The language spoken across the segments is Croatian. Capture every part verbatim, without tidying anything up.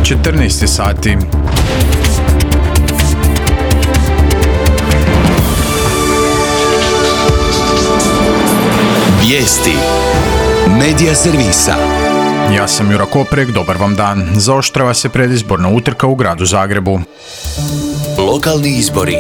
četrnaest sati. Vijesti Medija servisa. Ja sam Jura Koprek, dobar vam dan. Zaoštrava se predizborna utrka u gradu Zagrebu. Lokalni izbori.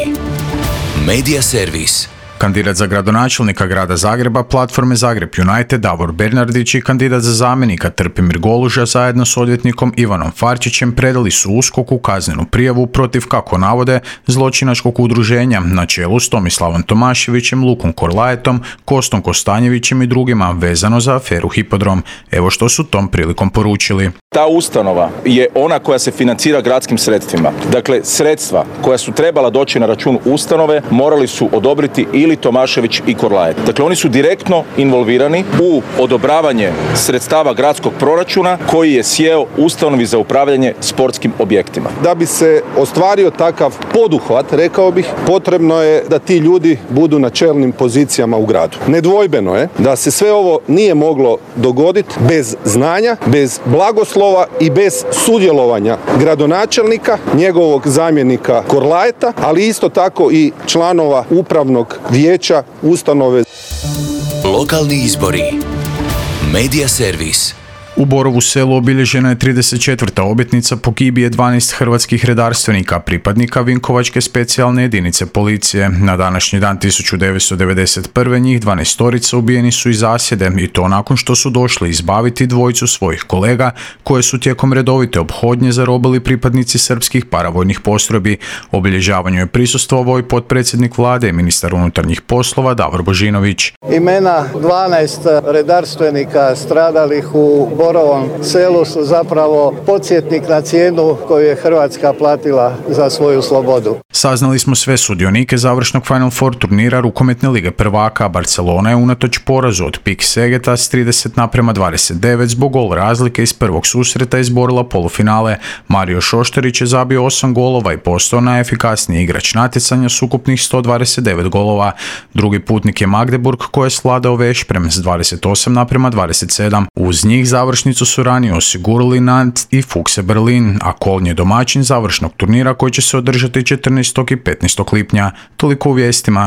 Medija servis. Kandidat za gradonačelnika grada Zagreba platforme Zagreb United Davor Bernardić i kandidat za zamjenika Trpimir Goluža zajedno s odvjetnikom Ivanom Farčićem predali su U S K O-ku kaznenu prijavu protiv, kako navode, zločinačkog udruženja na čelu s Tomislavom Tomaševićem, Lukom Korlajetom, Kostom Kostanjevićem i drugima vezano za aferu Hipodrom. Evo što su tom prilikom poručili. Ta ustanova je ona koja se financira gradskim sredstvima. Dakle, sredstva koja su trebala doći na račun ustanove morali su odobriti ili Tomašević i Korlajet. Dakle, oni su direktno involvirani u odobravanje sredstava gradskog proračuna koji je sjeo ustanovi za upravljanje sportskim objektima. Da bi se ostvario takav poduhvat, rekao bih, potrebno je da ti ljudi budu na čelnim pozicijama u gradu. Nedvojbeno je da se sve ovo nije moglo dogoditi bez znanja, bez blagoslova i bez sudjelovanja gradonačelnika, njegovog zamjenika Korlajeta, ali isto tako i članova upravnog vijeća ustanove. Lokalni izbori. Medija servis. U Borovu Selu obilježena je trideset četvrta obljetnica pogibije dvanaest hrvatskih redarstvenika, pripadnika Vinkovačke specijalne jedinice policije. Na današnji dan tisuću devetsto devedeset prve njih dvanaestorica ubijeni su iz zasjede i to nakon što su došli izbaviti dvojicu svojih kolega koje su tijekom redovite ophodnje zarobili pripadnici srpskih paravojnih postrojbi. Obilježavanju je prisustvovao i potpredsjednik vlade i ministar unutarnjih poslova Davor Božinović. Imena dvanaest redarstvenika stradalih u Borovom Selu su zapravo podsjetnik na cijenu koju je Hrvatska platila za svoju slobodu. Saznali smo sve sudionike završnog Final Four turnira rukometne lige prvaka. Barcelona je unatoč porazu od Pik Segeta s trideset naprema dvadeset devet zbog gol razlike iz prvog susreta izborila polufinale. Mario Šošterić je zabio osam golova i postao najefikasniji igrač natjecanja s ukupnih sto dvadeset devet golova. Drugi putnik je Magdeburg koji je svladao Vešprem s dvadeset osam naprema dvadeset sedam. Uz njih završnicu su ranije osigurali Nantes i Fuchse Berlin, a Kolnje je domaćin završnog turnira koji će se održati četrnaestog i petnaestog lipnja. Toliko u vijestima.